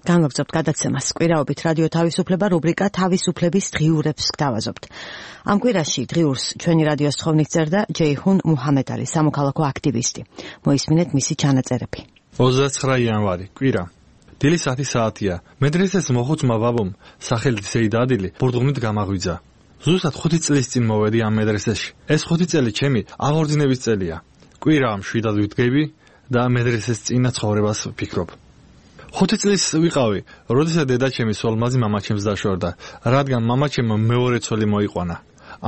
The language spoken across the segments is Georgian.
განვაგრძობთ გადაცემას. კვირაობით რადიო თავისუფლება რუბრიკა თავისუფლების დღიურებს გთავაზობთ. ამ კვირაში დღიურს ჩვენი რადიოს თხოვნით წერდა ჯეიჰუნ მუჰამედალი, სამოქალაქო აქტივისტი. მოისმინეთ მისი ჩანაწერები. 29 იანვარი, კვირა. დილის 10 საათია. მედრესეს მოხუცმა ბაბომ, სახელით სეიდ ადილი, ბურდღმით გამაღვიძა. ზუსტად 5 წლის წინ მოვედი ამ მედრესეში. ეს 5 წელი ჩემი აღორძინების წელია. კვირა მშვიდად ვდგები და მედრესეს წინა ცხოვრებას ვფიქრობ. 5 წლის ვიყავი, როდესაც დედაჩემი სოლმაზი მამაჩემს დაშორდა, რადგან მამაჩემ მეორე ცოლი მოიყვანა.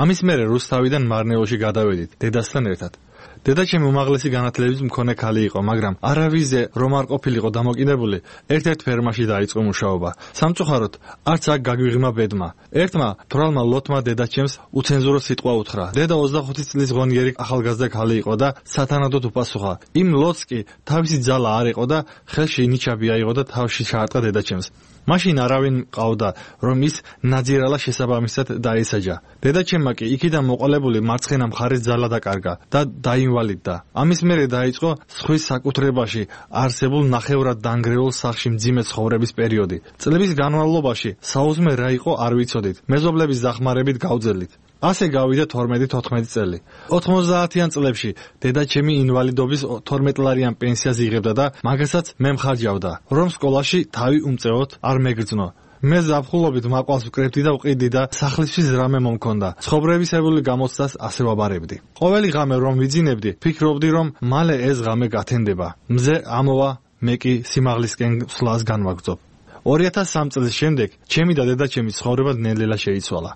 ამის მერე რუსთავიდან მარნეულში გადავედით დედასთან ერთად. დედაჩემი უმაღლესი განათლების მქონე ქალი იყო, მაგრამ არავიზე რომ არ ყოფილიყო დამოკიდებული, ერთ-ერთ ფერმაში დაიწყო მუშაობა. სამწუხაროდ, არც აქ გაგვიღმა ბედმა. ერთმა თვრალმა ლოტმა დედაჩემს უცენზურო სიტყვა უთხრა. დედა 25 წლის ღონიერი ახალგაზრდა ქალი იყო და სათანადოდ უპასუხა. იმ ლოტს კი თავისი ძალა არ იყო და ხელში ნიჩაბი აიღო და თავში ჩაარტყა დედაჩემს. მაშინ არავინ მყავდა, რომ ის ნაძირალა შესაბამისად დაესაჯა. დედაჩემმა კი იქიდან მოყოლებული მარცხენა მხარის ძალა დაკარგა და დაინვალიდდა. ამის მერე დაიწყო სხვის საკუთრებაში არსებულ ნახევრად დანგრეულ სახლში მძიმე ცხოვრების პერიოდი. წლების განმავლობაში საუზმე რა იყო არ ვიცოდით. მეზობლების დახმარებით გავძელით. ასე გავიდა 12-14 წელი. 90-იან წლებში დედაჩემი ინვალიდობის 12 ლარიან პენსიას იღებდა და მაგასაც მე მხარჯავდა, რომ სკოლაში თავი უმწეოდ არ მეგრძნო. მე ზაფხულობით მაყვალს ვკრებდი და ვყიდი და სახლისთვის რამე მომქონდა. ცხოვრებისეული გამოცდას ასე ვაბარებდი. ყოველი ღამე რომ ვიძინებდი, ფიქრობდი, რომ მალე ეს ღამე გათენდება. მზე ამოვა, მე კი სიმაღლისკენ სვლას განვაგრძობ. 2003 წლის შემდეგ ჩემი და დედაჩემის ცხოვრება ნელ-ნელა შეიცვალა.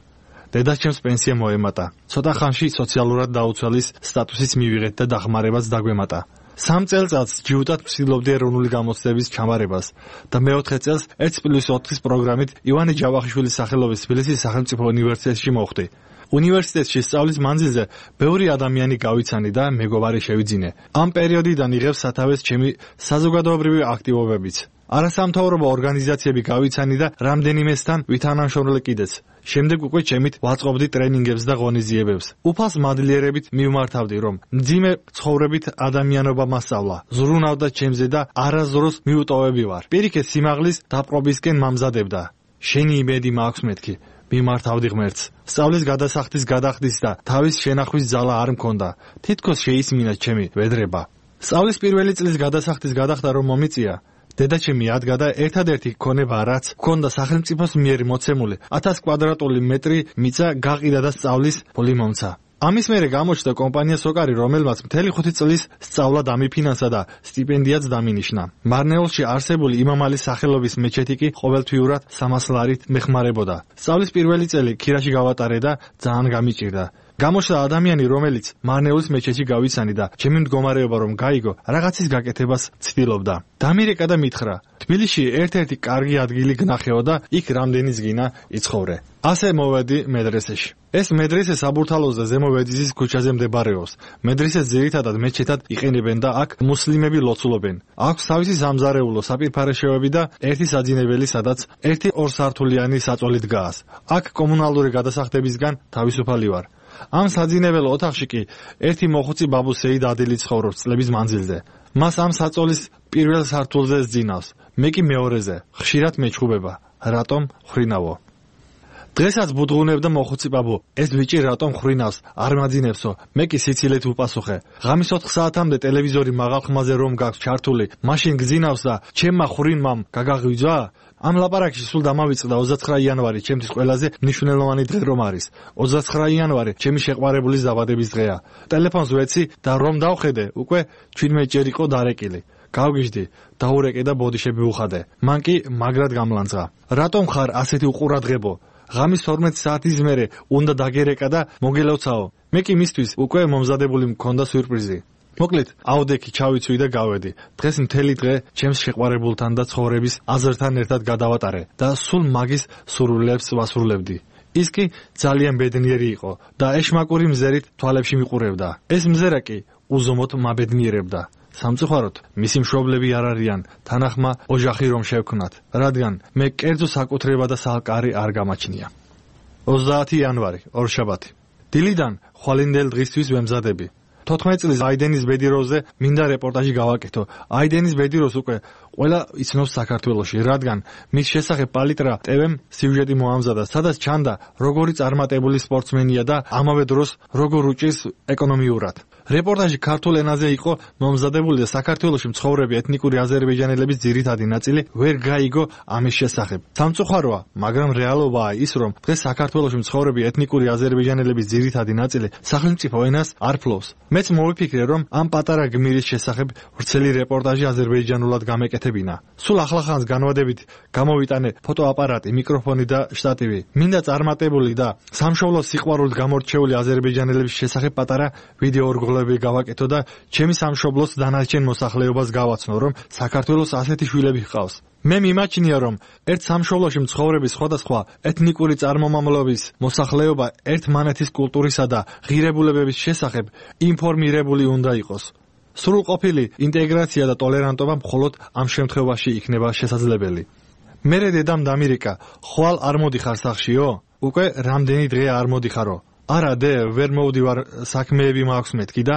დედაჩემს პენსია მოემატა. ცოტა ხანში სოციალურად დაუცველის სტატუსიც მივიღეთ და დახმარებაც დაგვემატა. 3 წელწადს ჯიუტად ვცდილობდი ეროვნული გამოცდების ჩამარებას და მე-4 წელს 1+4 პროგრამით ივანე ჯავახიშვილის სახელობის თბილისის სახელმწიფო უნივერსიტეტში მოხვდი. უნივერსიტეტში სწავლის მანძილზე ბევრი ადამიანი გავიცანი და მეგობარი შევიძინე. ამ პერიოდიდან იღებს სათავეს ჩემი საზოგადოებრივი აქტივობებიც. არასამთავრობო ორგანიზაციები გავიცანი და რამდენიმესთან ვითანამშრომლე კიდეც. შემდეგ უკვე ჩემით ვაწყობდი ტრენინგებს და ღონისძიებებს. უფალს მადლიერებით მივმართავდი, რომ მძიმე ცხოვრებით ადამიანობა მასწავლა. ზრუნავდა ჩემზე და არასდროს მიუტოვები ვარ. პირიქით სიმაღლის დაპყრობისკენ მამზადებდა. შენი იმედი მაქვს მეთქი. მიმართავდი ღმერთს. სწავლის გადასახდის გადახდის და თავის შენახვის ძალა არ მქონდა. თითქოს შეისმინა ჩემი ვედრება. სწავლის პირველი წლის გადასახდის გადახდა რომ მომიწია. დედაჩემი ადგა და ერთადერთი ქონება რაც მქონდა სახელმწიფოს მიერ მოცემული 1000 კვადრატული მეტრი მიწა გაყიდა და სწავლის ფული მომცა. ამის მერე გამოჩნდა კომპანია სოკარი, რომელმაც მთელი 5 წლის სწავლა დამიფინანსა და სტიპენდიაც დამინიშნა. მარნეულში არსებული იმამალის სახელობის მეჩეთი კი ყოველთვიურად 300 ლარით მეხმარებოდა. სწავლის პირველი წელი ქირაში გავატარე და ძალიან გამიჭირდა. გამოჩნდა ადამიანი, რომელიც მარნეულის მეჩეთში გავიცანი და ჩემი მდგომარეობა რომ გაიგო, რაღაცის გაკეთებას ცდილობდა. დამირეკა და მითხრა, თბილისში ერთ-ერთი კარგი ადგილი გნახეო და იქ რამდენიც გინა იცხოვრე. ასე მოვედი მედრესეში. ეს მედრესე საბურთალოს და ზემო ვედიზის ქუჩაზე მდებარეობს. მედრესეს ძირითადად მეჩეთად იყენებენ და აქ მუსლიმები ლოცულობენ. აქვს თავისი სამზარეულო საპირფარეშეები და ერთი საძინებელი, სადაც ერთი ორსართულიანი საწოლი დგას. აქ კომუნალური გადასახდებისგან თავისუფალი ვარ. ამ საძინებელ ოთახში კი ერთი მოხუცი ბაბუ სეიდ ადილი ცხოვრობს წლების მანძილზე. მას ამ საწოლის პირველ სართულზე ზძინავს. მე კი მეორეზე. ხშირად მეჩხუბება. რატომ ხრინავო? დღესაც ბუდღუნებდა მოხუცი ბაბუ. ეს ბიჭი რატომ ხრინავს? არ მაძინებსო. მე კი სიცილით უპასუხე. ღამის 4 საათამდე ტელევიზორი მაღალ ხმაზე რომ გაქვს ჩართული, მაშინ გძინავს და ჩემმა ხრინმამ გაგაღვიძვა? ამ ლაპარაკში სულ დამავიწყდა 29 იანვარი, ჩემთვის ყველაზე მნიშვნელოვანი დღე რომ არის. 29 იანვარი ჩემი შეყვარებულის დაბადების დღეა. ტელეფონს ვეცი და რომ დავხედე, უკვე 17 ჯერ იყო დარეკილი. გავგიჟდი, დაურეკე და ბოდიშები ვუხადე. მან კი მაგრად გამლანძღა. რატომ ხარ ასეთი უყურადღებო? ღამის 12 საათის მერე უნდა დაგერეკა და მოგელოცაო. მე კი მისთვის უკვე მომზადებული მქონდა სიურპრიზი. მოკლედ, აუდექი ჩავიცვი და გავედი. დღეს მთელი დღე ჩემს შეყვარებულთან და ცხოვრების აზრთან ერთად გადავატარე და სულ მაგის სურვილებს ვასრულებდი. ის კი ძალიან ბედნიერი იყო და ეშმაკური მზერით თვალებში მიყურებდა. ეს მზერა კი უზომოდ მაბედნიერებდა. სამწუხაროდ, მისი მშობლები არ არიან, თანახმა ოჯახი რომ შევქნათ, რადგან მე კერძო საკუთრება და სალკარი არ გამაჩნია. 30 იანვარი, ორშაბათი. დილიდან ხვალინდელ დღისთვის ვემზადები. 14 წლის აიდენის ბედიროზე მინდა რეპორტაჟი გავაკეთო. აიდენის ბედიროს უკვე ყველა იცნობს საქართველოში, რადგან მის შესახებ პალიტრა TV-მ სიუჟეტი მოამზადა, სადაც ჩანდა როგორი წარმატებული სპორტსმენია და ამავე დროს როგორ უჭირს ეკონომიურად. რეპორტაჟი ქართულ ენაზე იყო მომზადებული და საქართველოში მცხოვრები ეთნიკური აზერბაიჯანელების ძირითადი ნაწილი ვერ გაიგო ამის შესახებ. სამწუხაროა, მაგრამ რეალობაა ის, რომ დღეს საქართველოში მცხოვრები ეთნიკური აზერბაიჯანელების ძირითადი ნაწილი სახელმწიფო ენას არ ფლობს. მეც მოვიფიქრე, რომ ამ პატარა გმირის შესახებ ვრცელი რეპორტაჟი აზერბაიჯანულად გამეკეთებინა. სულ ახლახანს განვადებით გამოვიტანე ფოტოაპარატი, მიკროფონი და შტატივი. მინდა წარმატებული და სამშობლოს სიყვარულით გამორჩეული აზერბაიჯანელების შესახებ პატარა ვიდეო გავაკეთო და ჩემი სამშობლოს დანარჩენ მოსახლეობას გავაცნო, რომ საქართველოს ასეთი შვილები ჰყავს. მე მიმაჩნია, რომ ერთ სამშობლოში მცხოვრების სხვადასხვა ეთნიკური წარმომავლობის მოსახლეობა ერთმანეთის კულტურისა და ღირებულებების შესახებ ინფორმირებული უნდა იყოს. სრულყოფილი ინტეგრაცია და ტოლერანტობა მხოლოდ ამ შემთხვევაში იქნება შესაძლებელი. მერე დედამ დამირეკა, ხვალ არ მოდიხარ სახშიო? უკვე რამდენი დღე არ მოდიხარო? არა დე, ვერ მოვდივარ, საქმეები მაქვს მეთქი და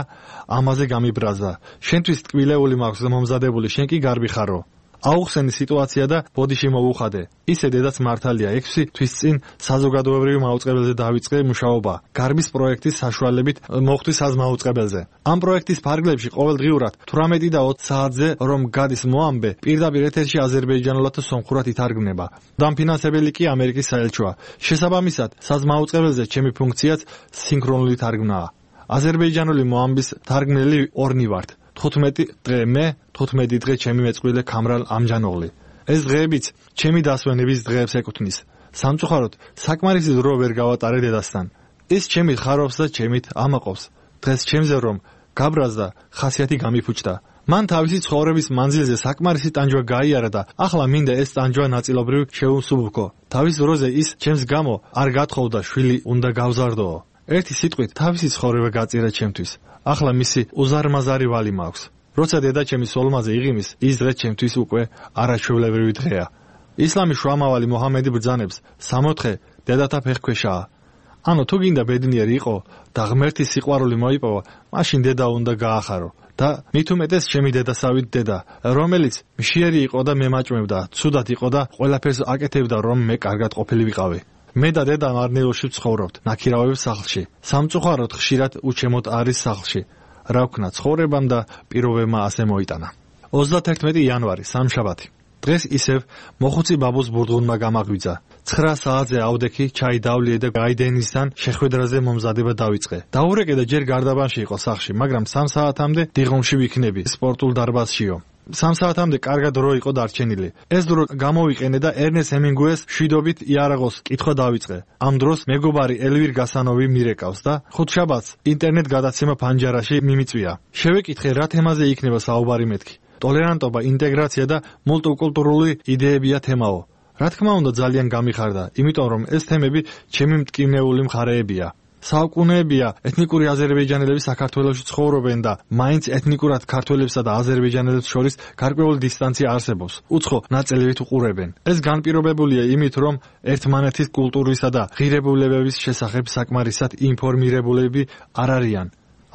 ამაზე გამიბრაზდა. შენთვის ტკბილეული მაქვს მომზადებული, შენ კი გარბი ხარო. აუხსენი სიტუაცია და ბოდიში მოუხადე. ისე დედაც მართალია, 6 თვის წინ საზოგადოებრივი მაუწყებელზე დავიწყე მუშაობა. გარბის პროექტის საშუალებით მოხდი საზმაუწყებელზე. ამ პროექტის ფარგლებში ყოველდღიურად 18 და 20 საათზე რომ გადის მოამბე, პირდაპირ ეთერში აზერბაიჯანულად და სომხურად ითარგმნება. დამფინანსებელი კი ამერიკის საელჩოა. შესაბამისად, საზმაუწყებელზე ჩემი ფუნქციაც სინქრონული თარგმნაა. აზერბაიჯანული მოამბის თარგმნელი ორნი ვართ. 15 დღე მე, 15 დღე ჩემი მეწყვილე ქამრალ ამჯანოღლი. ეს დღეებიც ჩემი დასვენების დღეებს ეკუთვნის. სამწუხაროდ, საკმარისი დრო ვერ გავატარე დედასთან. ის ჩემი ხარობს და ჩემით ამაყობს. დღეს ჩემზე რომ გაბრაზდა, ხასიათი გამიფუჭდა. მან თავისი ცხოვრების მანძილზე საკმარისი ტანჯვა გაიარა და ახლა მინდა ეს ტანჯვა ნაწილობრივ შეუსუბუქო. თავის დროზე ის ჩემს გამო არ გათხოვდა, შვილი უნდა გავზარდოო. ერთი სიტყვით თავისი ცხოვრება გაწირა ჩემთვის. ახლა მისი უზარმაზარი ვალი მაქვს. როცა დედა ჩემი სოლმაზე იღიმის, ის დღე ჩემთვის უკვე არაჩვეულებრივი დღეა. ისლამის შუამავალი მოჰამედი ბრძანებს, 64 დედათა ფეხქვეშაა. ანუ თუ გინდა ბედნიერი იყო და ღმერთი სიყვარული მოიპოვა, მაშინ დედა უნდა გაახარო. და მით უმეტეს ჩემი დედასავით დედა, რომელიც მშიერი იყო და მემაჭმევდა, ცუდად იყო და ყველაფერს აკეთებდა, რომ მე კარგად ყოფილი ვიყავი. მე და დედა მარნეულში ვცხოვრობთ, ნაქირავების სახლში. სამწუხაროდ ხშირად უჩემოდ არის სახლში. რა ვქნა, ცხოვრებამ და პირობებმა ასე მოიტანა. 31 იანვარი, სამშაბათი. დღეს ისევ მოხუცი ბაბუს ბურდღუნმა გამაღვიძა. 9 საათზე ავდექი, ჩაი დავლიე და გაიდენისთან შეხვედრაზე მომზადება დავიწყე. დაურეკე და ჯერ გარდაბანში იყო სახლში, მაგრამ 3 საათამდე დიღომში ვიქნები, სპორტულ დარბაზშიო. 3 საათამდე კარგად დრო იყო დარჩენილი. ეს დრო გამოვიყენე და ერნეს ჰემინგუეს შვიდობით იარაღოს კითხვა დავიწყე. ამ დროს მეგობარი ელვირ გასანოვი მირეკავს და ხუთშაბათს ინტერნეტ გადაცემა ფანჯარაში მიმიწვია. შევეკითხე რა თემაზე იქნება საუბარი მეთქი. ტოლერანტობა, ინტეგრაცია და მულტიკულტურული იდეებია თემაო. რა თქმა უნდა ძალიან გამიხარდა, იმიტომ რომ ეს თემები ჩემი მტკივნეული მხარეებია. საუკუნეებია ეთნიკური აზერბაიჯანელები საქართველოში ცხოვრობენ და მაინც ეთნიკურად ქართველებსა და აზერბაიჯანელებს შორის გარკვეული დისტანცია არსებობს. უცხო ნაწილებით უყურებენ. ეს განპირობებულია იმით, რომ ერთმანეთის კულტურისა და ღირებულებების შესახებ საკმარისად ინფორმირებულები არ არიან.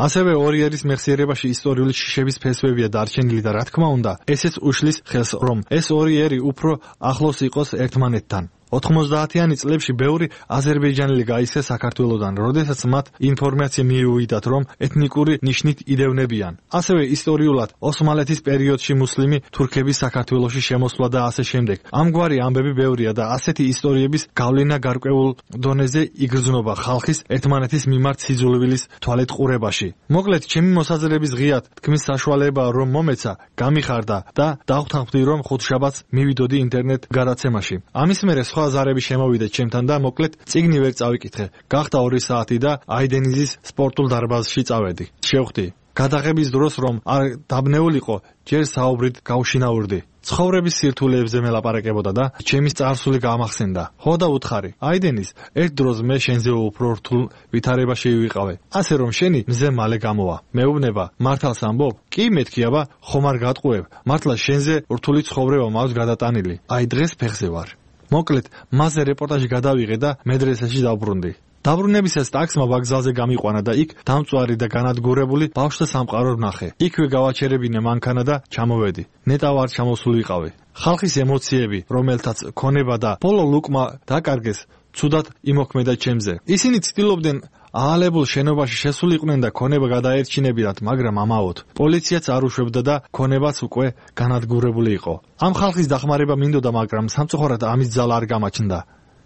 ასევე ორიერის მეხსიერებაში ისტორიული შიშების ფესვებია დარჩენილი და რა თქმა უნდა, ესეც უშლის ხელს, რომ ეს ორიერი უფრო ახლოს იყოს ერთმანეთთან. 90-იანი წლებში ბევრი აზერბაიჯანელი გაიქცა საქართველოდან, როდესაც მათ ინფორმაცია მიუვიდათ, რომ ეთნიკური ნიშნით იდევნებიან. ასევე ისტორიულად ოსმალეთის პერიოდში მუსლიმი თურქების საქართველოში შემოსვლა და ასე შემდეგ. ამგვარი ამბები ბევრია და ასეთი ისტორიების გავლენა გარკვეულ დონეზე იგრძნობა ხალხის ერთმანეთის მიმართ სიძულვილის თვალეთ ყურებაში. მოკლედ, ჩემი მოსაზრების ღიად თქმის საშუალება რომ მომეცა, გამიხარდა და დავთანხმდი, რომ ხუთშაბათს მივიდოდი ინტერნეტ გადაცემაში. ამის მერე სხვა ზარები შემოვიდა ჩემთან და მოკლედ წიგნი ვერ წავიკითხე. გახდა 2 საათი და აიდენიზის სპორტულ დარბაზში წავედი. შევხვდი. გადაღების დროს რომ არ დაბნეულიყო, ჯერ საუბრით გავშინაურდი. ცხოვრების სირთულეებზე მელაპარაკებოდა და ჩემი წარსული გამახსენდა. ხო და უთხარი, აიდენის, ერთ დროს მე შენზე უფრო რთულ ვითარებაში ვიყავე. ასე რომ შენი მზე მალე გამოვა. მეუბნება, მართალს ამბობ? კი მეთქი აბა, ხომ არ გატყუებ. მართლა შენზე რთული ცხოვრება მაქვს გადატანილი. აი დღეს ფეხზე ვარ. მოკლედ, მასზე რეპორტაჟი გადავიღე და მედრესეში დავბრუნდი. დაბრუნებისას ტაქსმა ვокზალზე გამიყვანა და იქ დამწვარი და განადგურებული ბავშვთა სამყარო ვნახე. იქვე გავაჩერებინე მანქანა და ჩამოვედი. ნეტავ არ ჩამოსულიყავი. ხალხის ემოციები, რომელთაც ქონება და ბოლო ლუკმა დაკარგეს, ცუდად იმოქმედა ჩემზე. ისინი ცდილობდნენ აალებულ შენობაში შესულიყვნენ და ქონება გადაერჩინებინათ, მაგრამ ამაოდ. პოლიციაც არ უშვებდა და ქონებაც უკვე განადგურებული იყო. ამ ხალხის დახმარება მინდოდა, მაგრამ სამწუხაროდ ამის ძალა არ გამაჩნდა.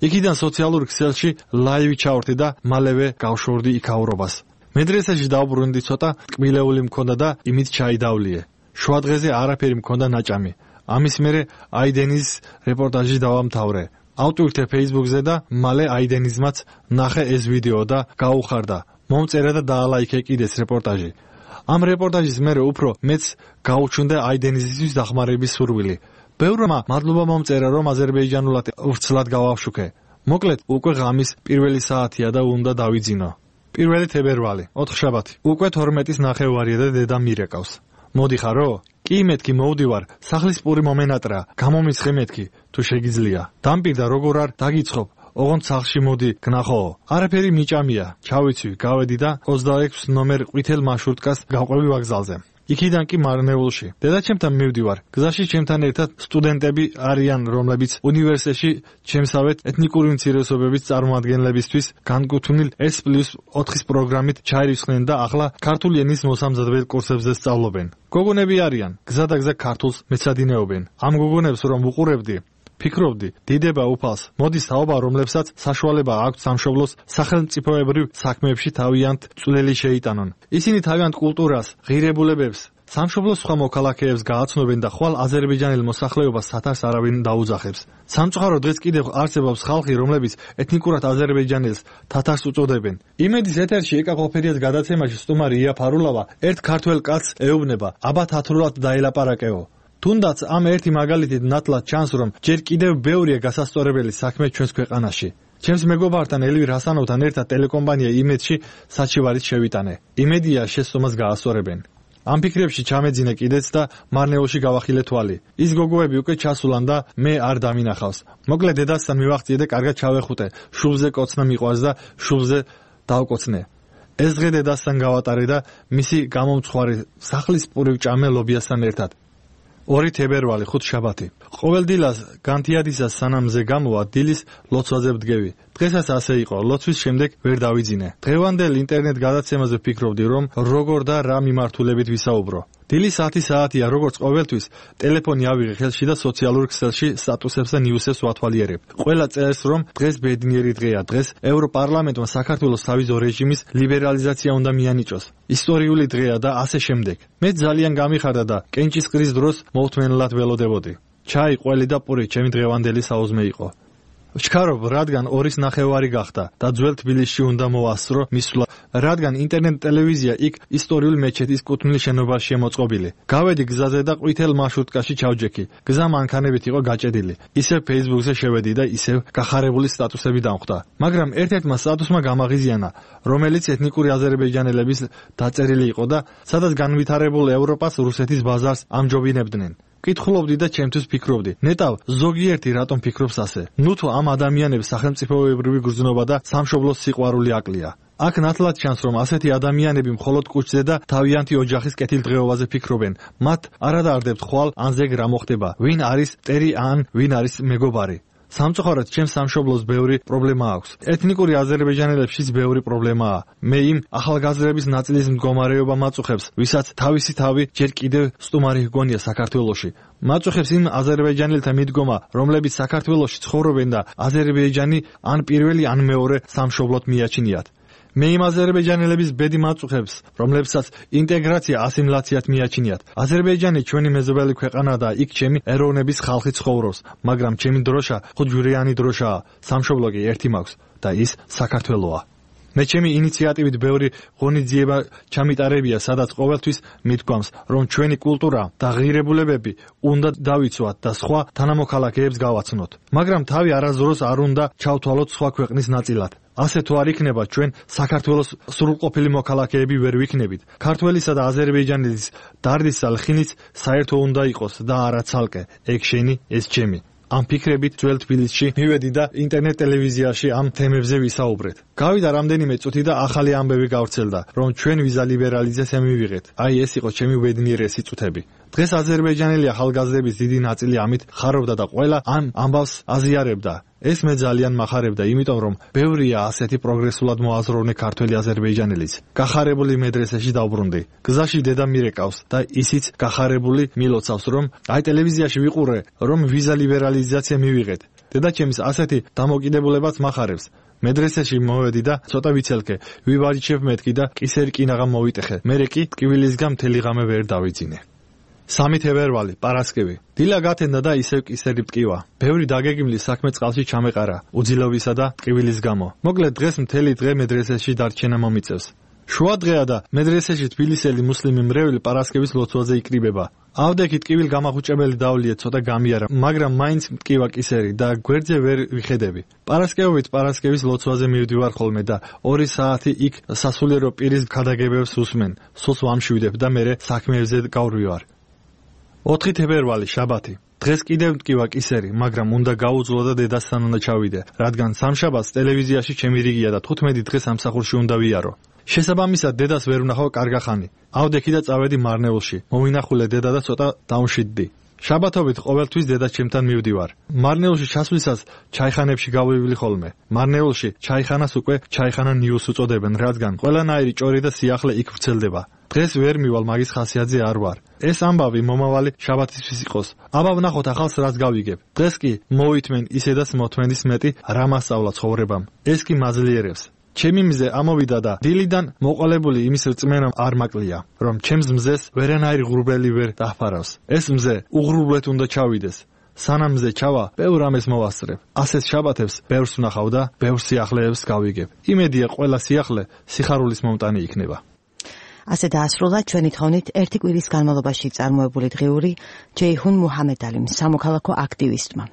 იქიდან სოციალურ ქსელში ლაივი ჩავრდი და მალევე გავშორდი იქაურობას. მედრესეში დავბრუნდი, ცოტა ტკბილეული მქონდა და იმით ჩაიდავლიე. შუა დღეზე არაფერი მქონდა ნაჭამი. ამის მერე აიდენის რეპორტაჟი დავამთავრე. ავტვირთე Facebook-ზე და მალე აიდენიზმაც ნახე ეს ვიდეო და გაუხარდა. მომწერა და დაალაიქე კიდეც რეპორტაჟი. ამ რეპორტაჟის მერე უფრო მეც გაუჩნდა აიდენიზმის დახმარების სურვილი. ბევრმა მადლობა მომწერა, რომ აზერბაიჯანულად ვრცლად გავავშუქე. მოკლედ, უკვე ღამის პირველი საათია და უნდა დავიძინო. 1 თებერვალი, 4 შაბათი. უკვე 12-ის ნახევარია და დედა მირეკავს. მოდიხარო? კი მეთქი მოვდივარ, სახლის პური მომენატრა, გამომისხე მეთქი, თუ შეგიძლია. დამპირდა როგორ არ დაგიცხობ, ოღონდ სახლში მოდი გნახოო. არაფერი მიჭამია, ჩავიცვი, გავედი და 26 ნომერ ყვითელ მარშრუტკას გავყვევი ვокზალზე. იქიდან კი მარნეულში. დედაჩემთან მივდივარ. გზაში ჩემთან ერთად სტუდენტები არიან, რომლებიც უნივერსიტეტში ჩემსავეთ ეთნიკური უმცირესობების წარმომადგენლებისთვის განკუთვნილ S+4-ის პროგრამით ჩაირიცხნენ და ახლა ქართული ენის მოსამზადებელ კურსებზე სწავლობენ. გოგონები არიან, გზადაგზა ქართულს მეცადინეობენ. ამ გოგონებს რომ უყურებდი, ფიქრობდი, დიდება უფალს, მოდის თაობა, რომლებსაც საშუალება აქვთ სამშობლოს სახელმწიფოებრივ საქმეებში თავიანთ წვლილი შეიტანონ. ისინი თავიანთ კულტურას, ღირებულებებს, სამშობლოს სხვა მოქალაქეებს გააცნობენ და ხვალ აზერბაიჯანელ მოსახლეობას სათარს არავინ დაუძახებს. სამწუხაროდ დღეს კიდევ არსებობს ხალხი, რომლებიც ეთნიკურად აზერბაიჯანელს თათარს უწოდებენ. იმედის ეთერში ეკა ყოფერიას გადაცემაში სტუმარი ია ფარულავა ერთ ქართველ კაცს ეუბნება, აბა თათრულად დაელაპარაკეო. თუნდაც ამ ერთი მაგალითით ნათლად ჩანს, რომ ჯერ კიდევ ბევრია გასასწორებელი საქმე ჩვენს ქვეყანაში. ჩემს მეგობართან ელვირ ჰასანოვთან ერთად ტელეკომპანია იმედში საჩივარით შევიტანე. იმედია შესწომას გაასწორებენ. ამ ფიქრებში ჩამეძინე კიდეც და მარნეულში გავახილე თვალი. ის გოგოები უკვე ჩასულან და მე არ დამინახავს. მოკლედ დედასთან მივახციე და კარგად ჩავეხუტე. შუბლზე კოცნა მიყვარს და შუბლზე დავკოცნე. ეს დღე დედასთან გავატარე და მისი გამომცხვარი სახლის პური ვჭამე ლობიასთან ერთად. 2 თებერვალი, 5 შაბათი. ყოველ დილას განთიადისას სანამზე გამოვა დილის ლოცვაზე ვდგევი. დღესაც ასე იყო, ლოცვის შემდეგ ვერ დავიძინე. დღევანდელ ინტერნეტ გადაცემაზე ფიქრობდი, რომ როგორ და რა მიმართულებით ვისაუბრო. დილის 10 საათია, როგორც ყოველთვის, ტელეფონი ავიღე ხელში და სოციალურ ქსელში სტატუსებს და ნიუსებს ვათვალიერებ. ყველა წერს, რომ დღეს ბედნიერი დღეა, დღეს ევროპარლამენტმა საქართველოს თავიზო რეჟიმის ლიბერალიზაცია უნდა მიანიჭოს. ისტორიული დღეა და ასე შემდეგ. მე ძალიან გამიხარდა და კენჭისყრის დროს მოუთმენლად ველოდებოდი. ჩაი, ყველი და პური ჩემი დღევანდელი საუზმე იყო. ვჩქარობ, რადგან 2:30 გახდა და ძველ თბილისში უნდა მოვასწრო მისვლა, რადგან ინტერნეტ ტელევიზია იქ ისტორიული მეჩეთის კუთვნილ შენობაშია მოწყობილი. გავედი გზაზე და ყვითელ მარშრუტკაში ჩავჯექი. გზა მანქანებით იყო გაჭედილი. ისევ Facebook-ზე შევედი და ისევ გახარებული სტატუსები დამხვდა. მაგრამ ერთ-ერთმა სტატუსმა გამაღიზიანა, რომელიც ეთნიკური აზერბაიჯანელების დაწერილი იყო და სადაც განვითარებულ ევროპას რუსეთის ბაზარს ამჯობინებდნენ. კითხულობდი და ჩემთვის ფიქრობდი. ნეტავ, ზოგიერთი რატომ ფიქრობს ასე? ნუ თუ ამ ადამიანებს სახელმწიფოებრივი გრძნობა და სამშობლოს სიყვარული აკლია. აქ ნათლად ჩანს, რომ ასეთი ადამიანები მხოლოდ კუჭზე და თავიანთი ოჯახის კეთილდღეობაზე ფიქრობენ. მათ არადარდებთ ხვალ ან ზეგ რა მოხდება, ვინ არის ტერი ან ვინ არის მეგობარი. სამწუხაროდ ჩემს სამშობლოს ბევრი პრობლემა აქვს. ეთნიკური აზერბაიჯანელებშიც ბევრი პრობლემაა. მე იმ ახალგაზრდების ნაწილის მდგომარეობა მაწუხებს, ვისაც თავისი თავი ჯერ კიდევ სტუმარი ჰგონია საქართველოში. მაწუხებს იმ აზერბაიჯანელთა მიდგომა, რომლებიც საქართველოში ცხოვრობენ და აზერბაიჯანი ან პირველი ან მეორე სამშობლოდ მიაჩნიათ. მე იმ აზერბაიჯანელების ბედი მაწუხებს, რომლებსაც ინტეგრაცია ასიმილაციად მიაჩნიათ. აზერბაიჯანი ჩვენი მეზობელი ქვეყანაა და იქ ჩემი ეროვნების ხალხი ცხოვრობს, მაგრამ ჩემი დროშა ხუჯურიანი დროშაა, სამშობლო კი ერთი მაქვს და ის საქართველოა. მე ჩემი ინიციატივით ბევრი ღონისძიება ჩამიტარებია, სადაც ყოველთვის მიდგომს, რომ ჩვენი კულტურა და ღირებულებები უნდა დავიცვათ და სხვა თანამოქალაქეებს გავაცნოთ. მაგრამ თავი არასდროს არ უნდა ჩავთვალოთ სხვა ქვეყნის ნაწილად. ასე თუ არ იქნება, ჩვენ საქართველოს სრულყოფილი მოქალაქეები ვერ ვიქნებით. ქართველისა და აზერბაიჯანელის დარდის ლხინიც საერთო უნდა იყოს და არა ცალკე. ეგ შენი, ეს ჩემი. ამ ფიქრებით ძველ თბილისში მივედი და ინტერნეტ ტელევიზიაში ამ თემებზე ვისაუბრეთ. გავიდა რამდენიმე წუთი და ახალი ამბები გავრცელდა, რომ ჩვენ ვიზა ლიბერალიზაცია მივიღეთ. აი ეს იყო ჩემი უბედნიერესი წუთები. დღეს აზერბაიჯანელი ახალგაზრდების დიდი ნაწილი ამით ხარობდა და ყველა ამ ამბავს აზიარებდა. ეს მე ძალიან მახარებდა, იმიტომ რომ ბევრია ასეთი პროგრესულად მოაზროვნე ქართველი აზერბაიჯანელიც. გახარებული მედრესეში დავბრუნდი. გზაში დედა მირეკავს და ისიც გახარებული მილოცავს, რომ აი ტელევიზიაში ვიყურე, რომ ვიზა ლიბერალიზაცია მივიღეთ. დედაჩემის ასეთი დამოკიდებულებაც მახარებს. მედრესეში მოვედი და ცოტა ვიცელქე, ვიბარიჩებ მეთქი და კისერი კინაღამ მოვიტეხე. მერე კი ტკივილისგან მთელი ღამე ვერ დავიძინე. 3 თებერვალი, პარასკევი. დილა გათენდა და ისევ კისერი მტკივა. ბევრი დაგეგმილი საქმე წყალში ჩამეყარა, უძილობისა და ტკივილის გამო. მოკლედ დღეს მთელი დღე მედრესეში დარჩენა მომიწევს. შუა დღეა და მედრესეში თბილისელი მუსლიმი მრევლი პარასკევის ლოცვაზე იკრიბება. ავდექი ტკივილ გამახუჭებელი დავლიე ცოტა გამიარა, მაგრამ მაინც მტკივა კისერი და გვერდზე ვერ ვიხედები. პარასკევით პარასკევის ლოცვაზე მივდივარ ხოლმე და 2 საათი იქ სასულიერო პირის ქადაგებებს უსმენ. სულს ვამშვიდებ და მერე საქმეებზე გავრვივარ. 4 თებერვალი, შაბათი. დღეს კიდევ მტკივა კისერი, მაგრამ უნდა გაუძლო და დედასთან უნდა ჩავიდე, რადგან სამშაბათს ტელევიზიაში ჩემი რიგია და 15 დღე სამსახურში უნდა ვიარო. შესაბამისად დედას ვერ ვნახავ კარგახანი. ავდექი და წავედი მარნეულში. მოვინახულე დედა და ცოტა დაუნშიდდი. შაბათობით ყოველთვის დედა ჩემთან მივდივარ. მარნეულში ჩასვლისას ჩაიხანებში გავივალი ხოლმე. მარნეულში ჩაიხანას უკვე ჩაიხანა ნიუს უწოდებენ, რადგან ყველანაირი ჭორი და სიახლე იქ ვრცელდება. დღეს ვერ მივალ, მაგის ხასიათზე არ ვარ. ეს ამბავი მომავალი შაბათისთვის იყოს. აბა ვნახოთ ახალს რაც გავიგებ. დღეს კი მოვითმენ ისედაც მოთმენის მეტი რა მასწავლა ცხოვრებამ. ეს კი მაძლიერებს. ჩემი მზე ამოვიდა და დილიდან მოყოლებული იმის რწმენა არ მაკლია, რომ ჩემს მზეს ვერანაირი ღრუბელი ვერ დაფარავს. ეს მზე უღრუბლეთ უნდა ჩავიდეს. სანამ მზე ჩავა, ბევრ ამეს მოვასწრებ. ასეთ შაბათებს ბევრს ვნახავ და ბევრ სიახლეებს გავიგებ. იმედია ყველა სიახლე სიხარულის მომტანი იქნება. ასე დაასრულა ჩვენი თხოვნით ერთი კვირის განმავლობაში წარმოებული დღიური ჯეიჰუნ მუჰამედალიმ, სამოქალაქო აქტივისტმა.